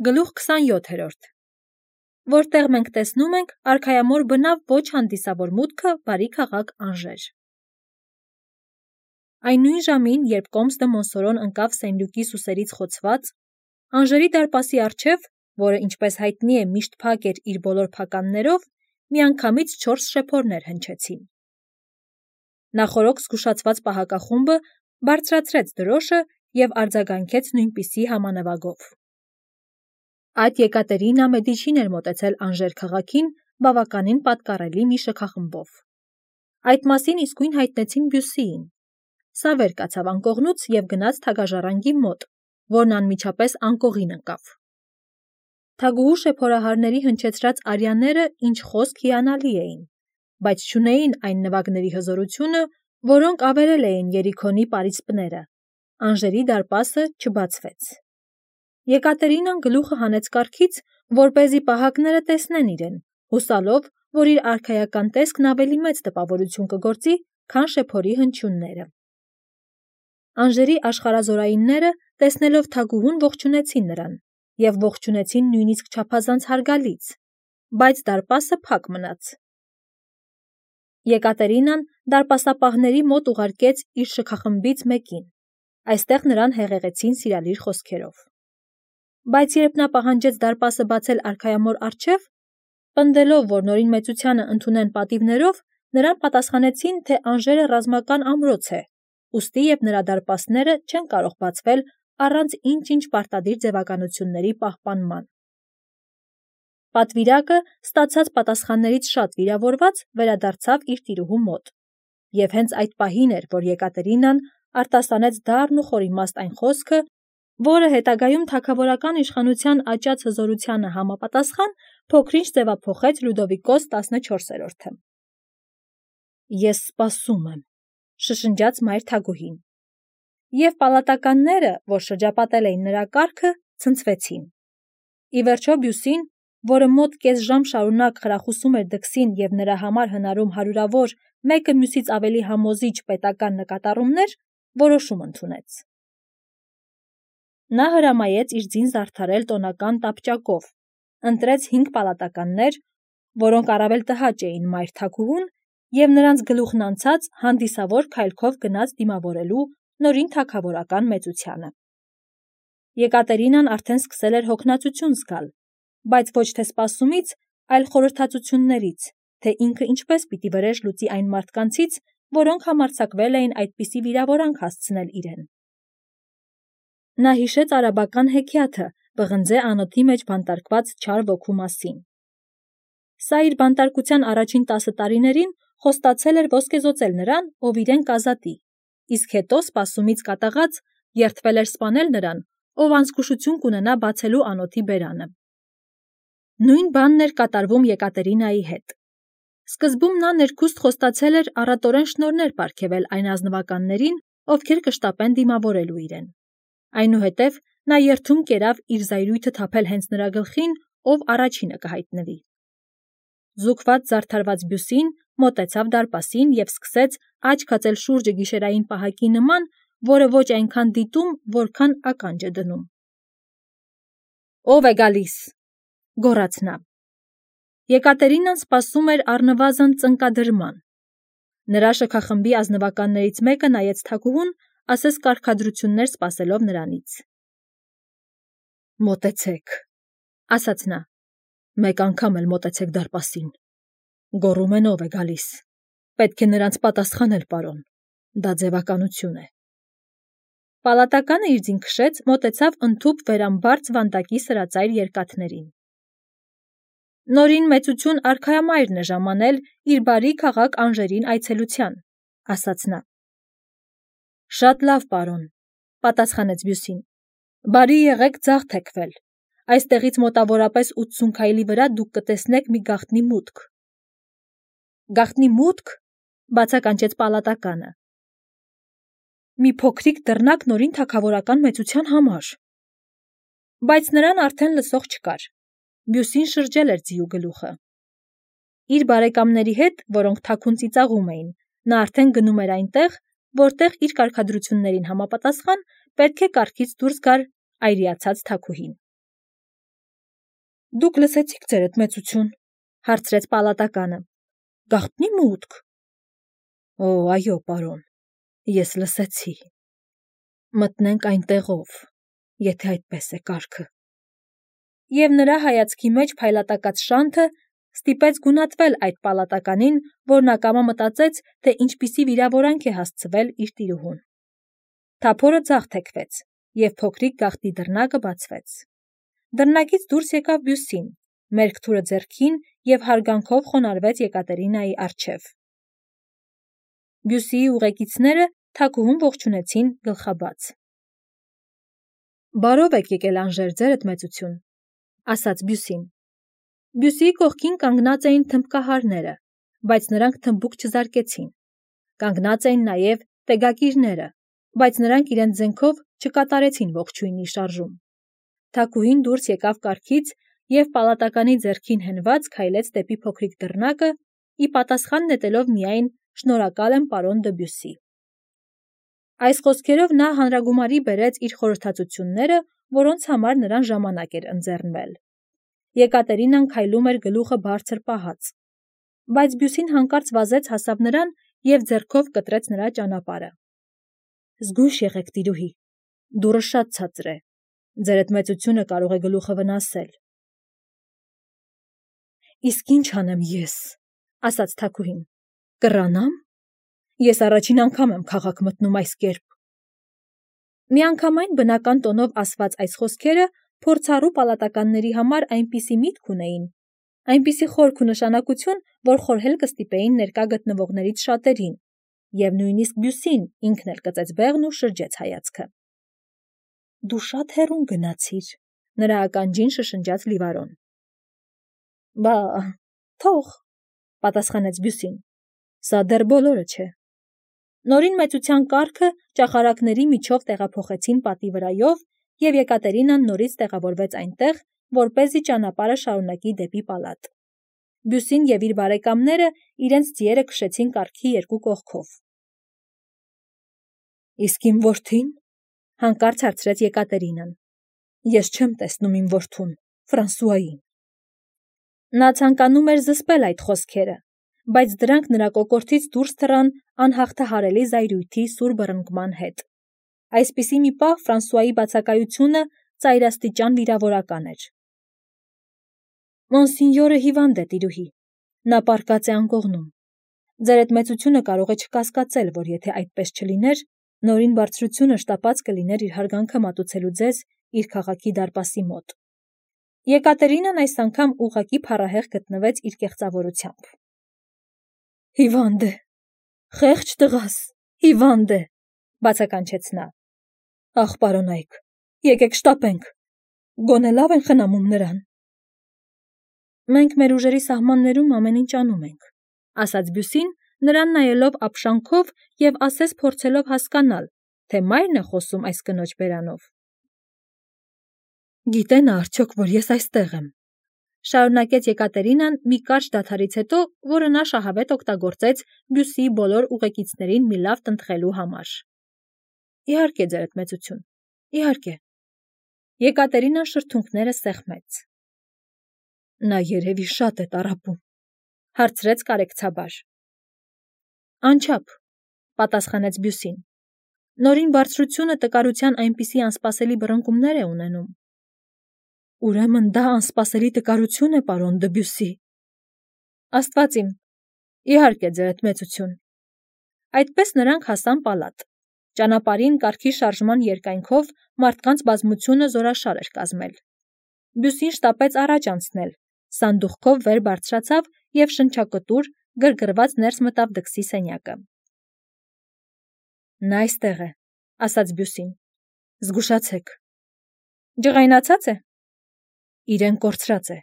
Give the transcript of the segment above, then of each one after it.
Գլուխ 27, որտեղ մենք տեսնում ենք արքայամոր բնավ ոչ հանդիսավոր մուտքը բարի քաղաք Անժեր։ Այն նույն ժամին, երբ Կոմս դը Մոնսորոն ընկավ Սենլյուկի սուսերից խոցված, Անժերի դարպասի առջև, որը ինչպես հայտնի է միշտ փակ էր իր բոլոր փականներով, միանգամից 4 շեփորներ հնչեցին։ Նախորոք զգուշացված պահակախումբը բարձրացրեց դրոշը և արձագանքեց նույնպիսի համանվագով։ Այդ Եկատերինա Մեդիչին էր մոտեցել Անժեր քաղաքին բավականին պատկառելի մի շքախմբով։ Այդ մասին իսկույն հայտնեցին Բյուսիին։ Սա վեր կացավ անկողնուց և գնաց թագաժառանգի մոտ, որն անմիջապես անկողին ընկավ։ Թագուհու շեփորահարների հնչեցրած արյաները ինչ խոսք հիանալի էին, բայց չունեին այն նվագների հզորությունը, որոնք ավերել էին Երիքոնի պարիսպները։ Անժերի դարպասը չբացվեց։ Եկատերինան գլուխը հանեց կառքից, որպեսզի պահակները տեսնեն իրեն, հուսալով, որ իր արքայական տեսքն ավելի մեծ տպավորություն կգործի, քան շեփորի հնչյունները։ Անժերի աշխարհազորայինները, տեսնելով թագուհուն, ողջունեցին նրան և ողջունեցին նույնիսկ չափազանց հարգալից, բայց դարպասը փակ մնաց։ Եկատերինան դարպասապահների մոտ ուղարկեց իր շքախմբից մեկին։ Այստեղ նրան հեղեղեցին սիրալիր խոսքերով։ Բայց երբ նա պահանջեց դարպասը բացել արքայամոր առջև, պնդելով, որ նորին մեծությանը ընդունեն պատիվներով, նրան պատասխանեցին, թե Անժերը ռազմական ամրոց է, ուստի և նրա դարպասները չեն կարող բացվել առանց ինչ-ինչ պարտադիր ձևականությունների պահպանման։ Պատվիրակը, ստացած պատասխաններից շատ վիրավորված, վերադարձավ իր տիրուհու մոտ։ Եվ հենց այդ պահին էր, որ Եկատերինան արտասանեց դառն ու խորիմաստ այն խոսքը, որը հետագայում թագավորական իշխանության աճած հզորությանը համապատասխան փոքր-ինչ ձևափոխեց Լյուդովիկոս 14-ը։ «Ես սպասում եմ», շշնջաց մայր թագուհին։ Եվ պալատականները, որ շրջապատել էին նրա կառքը, ցնցվեցին։ Ի վերջո Բյուսին, որը մոտ կես ժամ շարունակ խրախուսում էր դքսին և նրա համար հնարում հարյուրավոր, մեկը մյուսից ավելի համոզիչ պետական նկատառումներ, որոշում ընդունեց։ Նա հրամայեց իր ձին զարդարել տոնական տապճակով, ընտրեց 5 պալատականներ, որոնք առավել տհաճ էին մայր թագուհուն, և նրանց գլուխն անցած հանդիսավոր քայլքով գնաց դիմավորելու նորին թագավորական մեծությանը։ Եկատերինան արդեն սկսել էր հոգնածություն զգալ, բայց ոչ թե սպասումից, այլ խորհրդածություններից, թե ինքը ինչպես պիտի վրեժ լուծի այն մարդկանցից, որոնք համարձակվել էին այդպիսի վիրավորանք հասցնել իրեն։ Նա հիշեց արաբական հեքիաթը պղնձե անոթի մեջ բանտարկված չար ոգու մասին։ Սա իր բանտարկության առաջին 10 տարիներին խոստացել էր ոսկեզօծել նրան, ով իրեն կազատի, իսկ հետո սպասումից կատաղած երդվել էր սպանել նրան, ով անզգուշություն կունենա բացելու անոթի բերանը։ Նույն բանն էր կատարվում Եկատերինայի հետ։ Սկզբում նա ներքուստ խոստացել էր առատորեն շնորհներ պարգևել այն ազնվականներին, ովքեր կշտապեն դիմավորելու իրեն։ Այնուհետև նա երդում կերավ իր զայրույթը թափել հենց նրա գլխին, ով առաջինը կհայտնվի։ Զուգված զարդարված Բյուսին մոտեցավ դարպասին և սկսեց աչք հածել շուրջը գիշերային պահակի նման, որը ոչ այնքան դիտում, որքան ականջ է դնում։ «Ո՞վ է գալիս», գոռաց նա։ Եկատերինան սպասում էր առնվազն ծնկադրման։ Նրա շքախմբի ազնվականներից մեկը նայեց թագուհուն, ասես կարգադրություններ սպասելով նրանից։ «Մոտեցեք», ասաց նա։ «Մեկ անգամ էլ մոտեցեք դարպասին։ Գոռում են ով է գալիս։ Պետք է նրանց պատասխանել, պարոն։ Դա ձևականություն է»։ Պալատականը իր ձին քշեց, մոտեցավ ընդհուպ վերամբարձ վանդակի սրածայր երկաթներին։ «Նորին մեծություն արքայամայրն է ժամանել իր բարի քաղաք Անժերին այցելության», ասաց նա։ «Շատ լավ, պարոն», պատասխանեց Բյուսին։ «Բարի եղեք ձախ թեքվել։ Այստեղից մոտավորապես 80 քայլի վրա դուք կտեսնեք մի գաղտնի մուտք»։ «Գաղտնի մուտք», բացականչեց պալատականը։ «Մի փոքրիկ դռնակ նորին թագավորական մեծության համար»։ Բայց նրան արդեն լսող չկար։ Բյուսին շրջել էր ձիու գլուխը։ Իր բարեկամների հետ, որոնք թաքուն ծիծաղում էին, նա արդեն գնում էր այնտեղ, որտեղ իր կարգադրություններին համապատասխան պետք է կառքից դուրս գար այրիացած թագուհին։ Դուք լսեցիք ձերդ մեծություն, հարցրեց պալատականը։ Գաղտնի մուտք։ Օ, այո, պարոն, ես լսեցի։ Մտնենք այնտեղով, եթե այդպես է կարգը։ Եվ նրա հայացքի մեջ փայլատակած շանթը ստիպեց գունատվել այդ պալատականին, որն ակամա մտածեց, թե ինչպիսի վիրավորանք է հասցվել իր տիրուհուն։ Թափորը ձախ թեքվեց, և փոքրիկ գաղտի դռնակը բացվեց։ Դռնակից դուրս եկավ Բյուսին, մերկ թուրը ձեռքին և հարգանքով խոնարհվեց Եկատերինայի առջև։ Բյուսիի ուղեկիցները թագուհուն ողջունեցին գլխաբաց։ Բարով եք եկել Անժեր, ձերդ մեծություն, ասաց Բյուսին։ Բյուսիի կողքին կանգնած էին թմբկահարները, բայց նրանք թմբուկ չզարկեցին։ Կանգնած էին նաև տեգակիրները, բայց նրանք իրենց զենքով չկատարեցին ողջույնի շարժում։ Թագուհին դուրս եկավ կառքից և պալատականի ձեռքին հենված քայլեց դեպի փոքրիկ դռնակը, ի պատասխան նետելով միայն «Շնորհակալ եմ, պարոն դը Բյուսի»։ Այս խոսքերով նա հանրագումարի բերեց իր խորհրդածությունները, որոնց համար նրան ժամանակ էր ընձեռնվել։ Եկատերինան քայլում էր գլուխը բարձր պահած, բայց Բյուսին հանկարծ վազեց հասավ նրան և ձեռքով կտրեց նրա ճանապարհը։ Զգույշ եղեք, տիրուհի, դուռը շատ ցածր է, ձերդ մեծությունը կարող է գլուխը վնասել։ Իսկ ինչ անեմ ես, ասաց թագուհին, կռանամ։ Ես առաջին անգամ եմ քաղաք մտնում այս կերպ։ Միանգամայն բնական տոնով ասված այս խոսքերը փորձառու պալատականների համար այնպիսի միտք ունեին, այնպիսի խորք ու նշանակություն, որ խորհել կստիպեին ներկա գտնվողներից շատերին, և նույնիսկ Բյուսին ինքն էլ կծեց բեղն ու շրջեց հայացքը։ Դու շատ հեռուն գնացիր, նրա ականջին շշնջաց Լիվարոն։ Բա, թող, պատասխանեց Բյուսին, սա դեռ բոլորը չէ։ Նորին մեծության կառքը ճախարակների միջով տեղափոխեցին պատի վրայով, և Եկատերինան նորից տեղավորվեց այնտեղ, որպեսզի ճանապարհը շարունակի դեպի պալատ։ Բյուսին և իր բարեկամները իրենց ձիերը քշեցին կառքի երկու կողքով։ Իսկ իմ որդին, հանկարծ հարցրեց Եկատերինան։ Ես չեմ տեսնում իմ որդուն, Ֆրանսուային։ Նա ցանկանում էր զսպել այդ խոսքերը, բայց դրանք նրա կոկորդից դուրս թռան անհաղթահարելի զայրույթի սուր բռնկման հետ։ Այսպիսի մի պահ Ֆրանսուայի բացակայությունը ծայրաստիճան վիրավորական էր։ Մոնսինյորը հիվանդ է, տիրուհի, նա պառկած է անկողնում։ Ձերդ մեծությունը կարող է չկասկածել, որ եթե այդպես չլիներ, նորին բարձրությունը շտապած կլիներ իր հարգանքը մատուցելու ձեզ իր քաղաքի դարպասի մոտ։ Եկատերինան այս անգամ ուղղակի փառահեղ գտնվեց իր կեղծավորությամբ։ Հիվանդ է, խեղճ տղաս, հիվանդ է, բացականչեց նա։ Ախ, պարոնայք, եկեք շտապենք, գոնե լավ են խնամում նրան։ Մենք մեր ուժերի սահմաններում ամեն ինչ անում ենք, ասաց Բյուսին, նրան նայելով ապշանքով և ասես փորձելով հասկանալ, թե մայրն է խոսում այս կնոջ բերանով։ Գիտե նա արդյոք, որ ես այստեղ եմ, շարունակեց Եկատերինան մի կարճ դադարից հետո, որը նա շահավետ օգտագործեց Բյուսիի բոլոր ուղեկիցներին մի լավ տնտղելու համար։ Իհարկե, ձերդ մեծություն, իհարկե։ Եկատերինան շրթունքները սեղմեց։ Նա երևի շատ է տառապում, հարցրեց կարեկցաբար։ Անչափ, պատասխանեց Բյուսին։ Նորին բարձրությունը տկարության այնպիսի անսպասելի բռնկումներ է ունենում։ Ուրեմն դա անսպասելի տկարություն է, պարոն դը Բյուսի։ Աստված իմ, իհարկե, ձերդ մեծություն։ Այդպես նրանք հասան պալատ։ Ճանապարհին կառքի շարժման երկայնքով մարդկանց բազմությունը զորաշար էր կազմել։ Բյուսին շտապեց առաջ անցնել, սանդուղքով վեր բարձրացավ և շնչակտուր, գրգռված ներս մտավ դքսի սենյակը։ Նա այստեղ է, ասաց Բյուսին։ Զգուշացեք։ Ջղայնացած է։ Իրեն կորցրած է։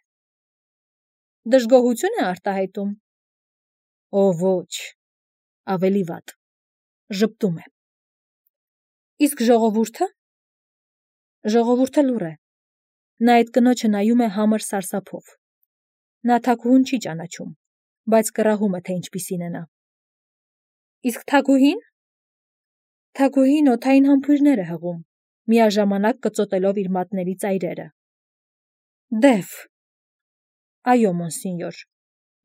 Դժգոհություն է արտահայտում։ Օ, ոչ, ավելի վատ, ժպտում է։ Իսկ ժողովուրդը։ Ժողովուրդը լուռ է։ Նա այդ կնոջը նայում է համր սարսափով։ Նա թագուհուն չի ճանաչում, բայց կռահում է, թե ինչպիսին է նա։ Իսկ թագուհին։ Թագուհին օդային համբույրներ է հղում, միաժամանակ կծոտելով իր մատների ծայրերը։ Դև, Այո, մոնսինյոր,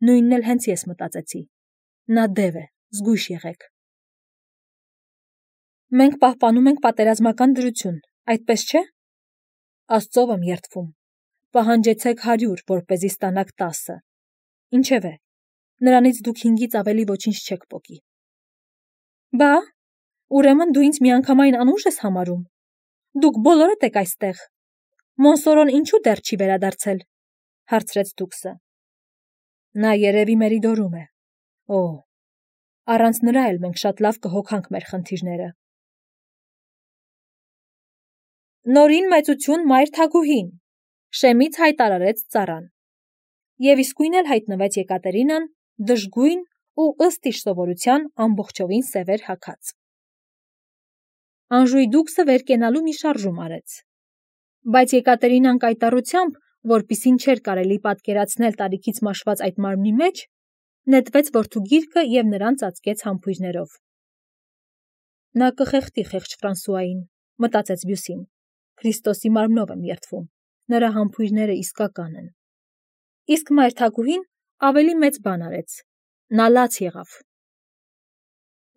նույնն էլ հենց ես մտածեցի, նա դև է, զգույշ եղեք։ Մենք պահպանում ենք պատերազմական դրություն, այդպես չէ։ Աստծով եմ երդվում, պահանջեցեք 100, որպեսզի ստանաք 10։ Ինչևէ, նրանից դուք 5-ից ավելի ոչինչ չեք պոկի։ Բա, ուրեմն դու ինձ միանգամայն անուշ ես համարում։ Դուք բոլորդ եք այստեղ։ Մոնսորոն ինչու դեռ չի վերադարձել, հարցրեց դուքսը։ Նա երևի Մերիդորում է։ Օ, առանց նրա էլ մենք շատ լավ կհոգանք մեր խնդիրները։ Նորին մեծություն մայր թագուհին, շեմից հայտարարեց ծառան։ Եվ իսկույն էլ հայտնվեց Եկատերինան, դժգույն ու ըստ իր սովորության ամբողջովին սևեր հագած։ Անժուй դուքսը վեր կենալու մի շարժում արեց։ Բայց Եկատերինան կայտառությամբ, որպիսին չէր կարելի պատկերացնել տարիքից մաշված այդ մարմնի մեջ, նետվեց որդու գիրկը և նրան ծածկեց համբույրներով։ Նա կխեղդի խեղճ Ֆրանսուային, մտածեց Բյուսին։ Քրիստոսի մարմնով եմ երդվում, նրա համբույրները իսկական են։ Իսկ մայր թագուհին ավելի մեծ բան արեց, նա լաց եղավ։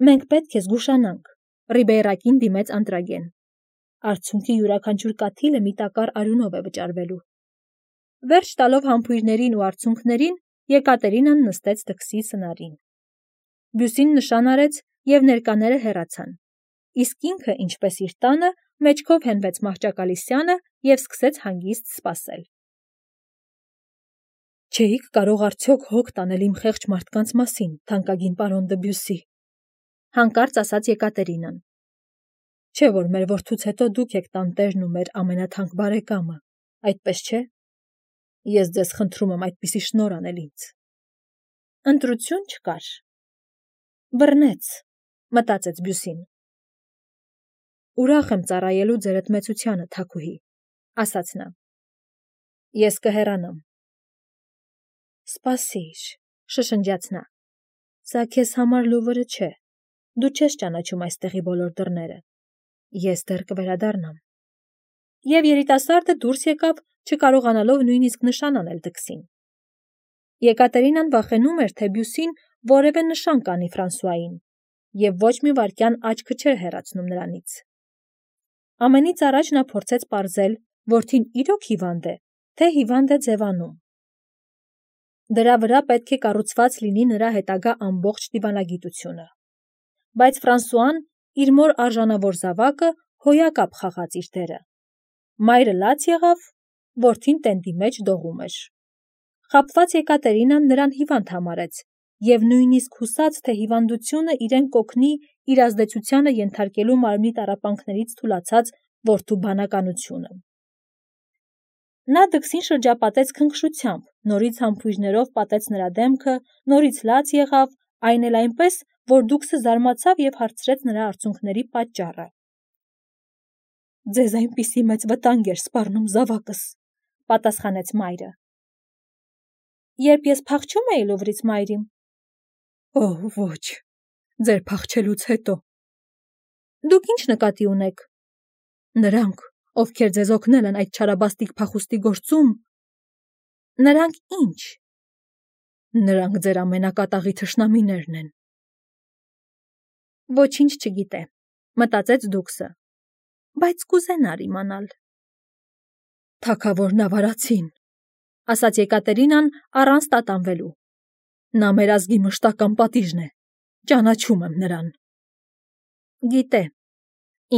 Մենք պետք է զգուշանանք, Ռիբեյրակին դիմեց Անտրագեն։ Արցունքի յուրաքանչյուր կաթիլը մի տակառ արյունով է վճարվելու։ Վերջ տալով համբույրներին ու արցունքներին, Եկատերինան նստեց դքսի սնարին։ Բյուսին նշան արեց և ներկաները հեռացան։ Իսկ ինքը, ինչպես իր տանը, մեջքով հենվեց մահճակալի և սկսեց հանգիստ սպասել։ Չէիք կարող արդյոք հոգ տանել իմ խեղճ մարդկանց մասին, թանկագին պարոն դը Բյուսի, հանկարծ ասաց Եկատերինան։ Չէ՞ որ մեր որդուց հետո դուք եք տանտերն ու մեր ամենաթանկ բարեկամը, այդպես չէ։ Ես ձեզ խնդրում եմ այդպիսի շնորհ անել ինձ։ Ընտրություն չկար։ Բռնեց, մտածեց Բյուսին։ Ուրախ եմ ծառայելու ձերդ մեծությանը, թագուհի, ասաց նա։ Ես կհեռանամ։ Սպասիր, շշնջաց նա։ Սա քեզ համար լուվրը չէ։ Դու չես ճանաչում այստեղի բոլոր դռները։ Ես դեռ կվերադառնամ։ Եվ երիտասարդը դուրս եկավ, չկարողանալով նույնիսկ նշան անել դքսին։ Եկատերինան վախենում էր, թե Բյուսին որևէ նշան կանի Ֆրանսուային, և ոչ մի վայրկյան աչքը չէր հեռացնում նրանից։ Ամենից առաջ նա փորձեց պարզել, որդին իրոք հիվանդ է, թե հիվանդ է ձևանում։ Դրա վրա պետք է կառուցված լինի նրա հետագա ամբողջ դիվանագիտությունը։ Բայց Ֆրանսուան իր մոր արժանավոր զավակը հոյակապ խաղաց իր դերը։ Մայրը լաց եղավ, որդին տենդի մեջ դողում էր։ Խաբված Եկատերինան նրան հիվանդ համարեց և նույնիսկ հուսաց, թե հիվանդությունը իրեն կօգնի իր ազդեցությանը ենթարկելու մարմնի տառապանքներից թուլացած որդու բանականությունը։ Նա դքսին շրջապատեց քնքշությամբ, նորից համբույրներով պատեց նրա դեմքը, նորից լաց եղավ, այն էլ այնպես, որ դուքսը զարմացավ և հարցրեց նրա արցունքների պատճառը։ Ձեզ այնպիսի մեծ վտանգ էր սպառնում զավակս, պատասխանեց մայրը։ Երբ ես փախչում էի Լուվրից, մայրիմ։ Օ, ոչ, ձեր փախչելուց հետո։ Դուք ինչ նկատի ունեք։ Նրանք, ովքեր ձեզ օգնել են այդ չարաբաստիկ փախուստի գործում։ Նրանք ինչ։ Նրանք ձեր ամենակատաղի թշնամիներն են։ Ոչինչ չգիտե, մտածեց դուքսը, բայց կուզենար իմանալ։ Թագավորն ավարացին, ասաց Եկատերինան առանց տատանվելու։ Նա մեր ազգի մշտական պատիժն է, ճանաչում եմ նրան։ Գիտե,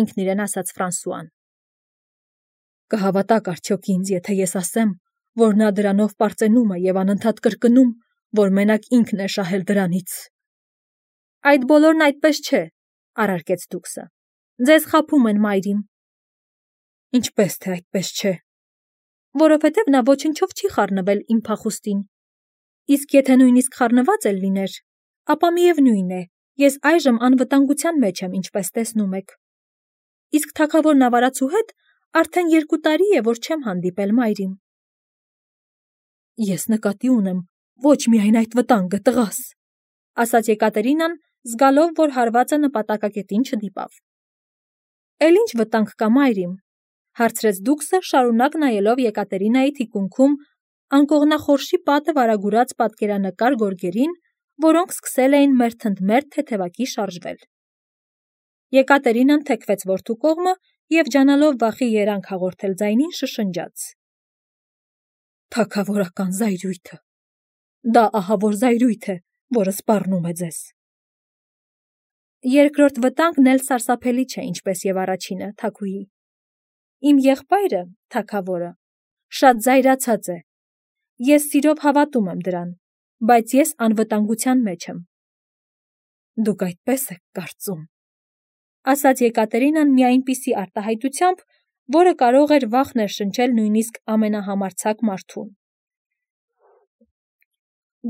ինքն իրեն ասաց Ֆրանսուան։ Կհավատաք արդյոք ինձ, եթե ես ասեմ, որ նա դրանով պարծենում է և անընդհատ կրկնում, որ մենակ ինքն է շահել դրանից։ Այդ բոլորն այդպես չէ, առարկեց դուքսը։ Ձեզ խաբում են, մայրիմ։ Ինչպես թե այդպես չէ։ Որովհետև նա ոչնչով չի խառնվել իմ փախուստին։ Իսկ եթե նույնիսկ խառնված էլ լիներ, ապա միևնույն է, ես այժմ անվտանգության մեջ եմ, ինչպես տեսնում եք։ Իսկ թագավորն ավարածու հետ արդեն 2 տարի է, որ չեմ հանդիպել, մայրիմ։ Ես նկատի ունեմ ոչ միայն այդ վտանգը, տղաս, ասաց Եկատերինան, զգալով, որ հարվածը նպատակակետին չդիպավ։ Էլ ինչ վտանգ կա, մայրիմ, հարցրեց դուքսը, շարունակ նայելով Եկատերինայի թիկունքում անկողնախորշի պատը վարագուրած պատկերանկար գորգերին, որոնք սկսել էին մերթընդմերթ թեթևակի շարժվել։ Եկատերինան թեքվեց որդու կողմը և ջանալով վախի երանգ հաղորդել ձայնին շշնջաց. «Թագավորական զայրույթը, դա ահավոր զայրույթ է, որը սպառնում է ձեզ»։ Երկրորդ վտանգն էլ սարսափելի չէ, ինչպես և առաջինը, թագուհի։ Իմ եղբայրը, թագավորը, շատ զայրացած է։ Ես սիրով հավատում եմ դրան, բայց ես անվտանգության մեջ եմ։ Դուք այդպես եք կարծում, ասաց Եկատերինան մի այնպիսի արտահայտությամբ, որը կարող էր վախ ներշնչել նույնիսկ ամենահամարձակ մարդուն։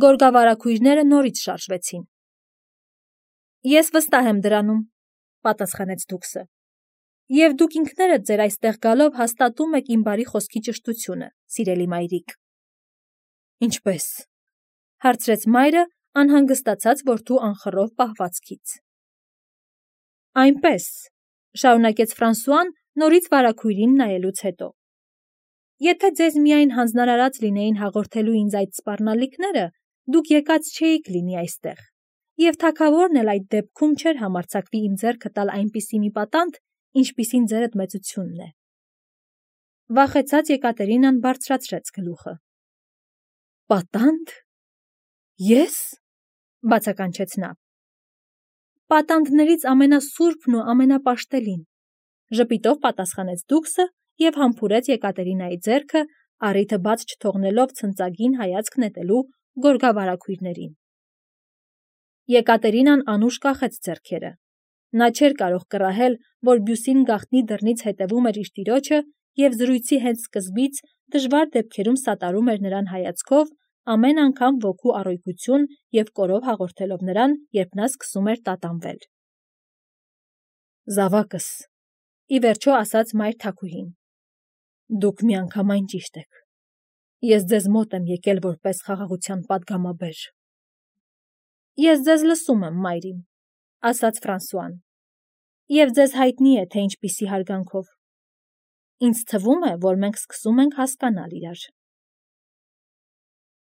Գորգավարագույրները նորից շարժվեցին։ Ես վստահ եմ դրանում, պատասխանեց դուքսը, և դուք ինքներդ ձեր այստեղ գալով հաստատում եք իմ բարի խոսքի ճշտությունը, սիրելի մայրիկ։ Ինչպե՞ս, հարցրեց մայրը, անհանգստացած որդու անխռով պահվածքից։ Այնպես, շարունակեց Ֆրանսուան, նորից վարագույրին նայելուց հետո։ Եթե ձեզ միայն հանձնարարած լինեին հաղորդելու ինձ այդ սպառնալիքները, դուք եկած չէիք լինի այստեղ, և թագավորն էլ այդ դեպքում չէր համարձակվի իմ ձեռքը տալ այնպիսի մի պատանդ, ինչպիսին ձերդ մեծությունն է։ Վախեցած Եկատերինան բարձրացրեց գլուխը։ Պատանդ։ Ես։ Բացականչեց նա։ Պատանդներից ամենասուրբն ու ամենապաշտելին, ժպիտով պատասխանեց դուքսը և համբուրեց Եկատերինայի ձեռքը, առիթը բաց չթողնելով ցնծագին հայացք նետելու գորգավարագույրներին։ Եկատերինան անուշ կախեց ձեռքերը։ Նա չէր կարող կռահել, որ Բյուսին գաղտնի դռնից հետևում էր իր տիրոջը և զրույցի հենց սկզբից դժվար դեպքերում սատարում էր նրան հայացքով, ամեն անգամ ոգու առօգյություն և կորով հաղորդելով նրան, երբ նա սկսում էր տատանվել։ Զավակս, ի վերջո ասաց մայր թագուհին, դուք միանգամայն ճիշտ եք։ Ես ձեզ մոտ եմ եկել որպես խաղաղության պատգամաբեր։ Ես ձեզ լսում եմ, մայրիմ, ասաց Ֆրանսուան, և ձեզ հայտնի է, թե ինչպիսի հարգանքով։ Ինձ թվում է, որ մենք սկսում ենք հասկանալ իրար։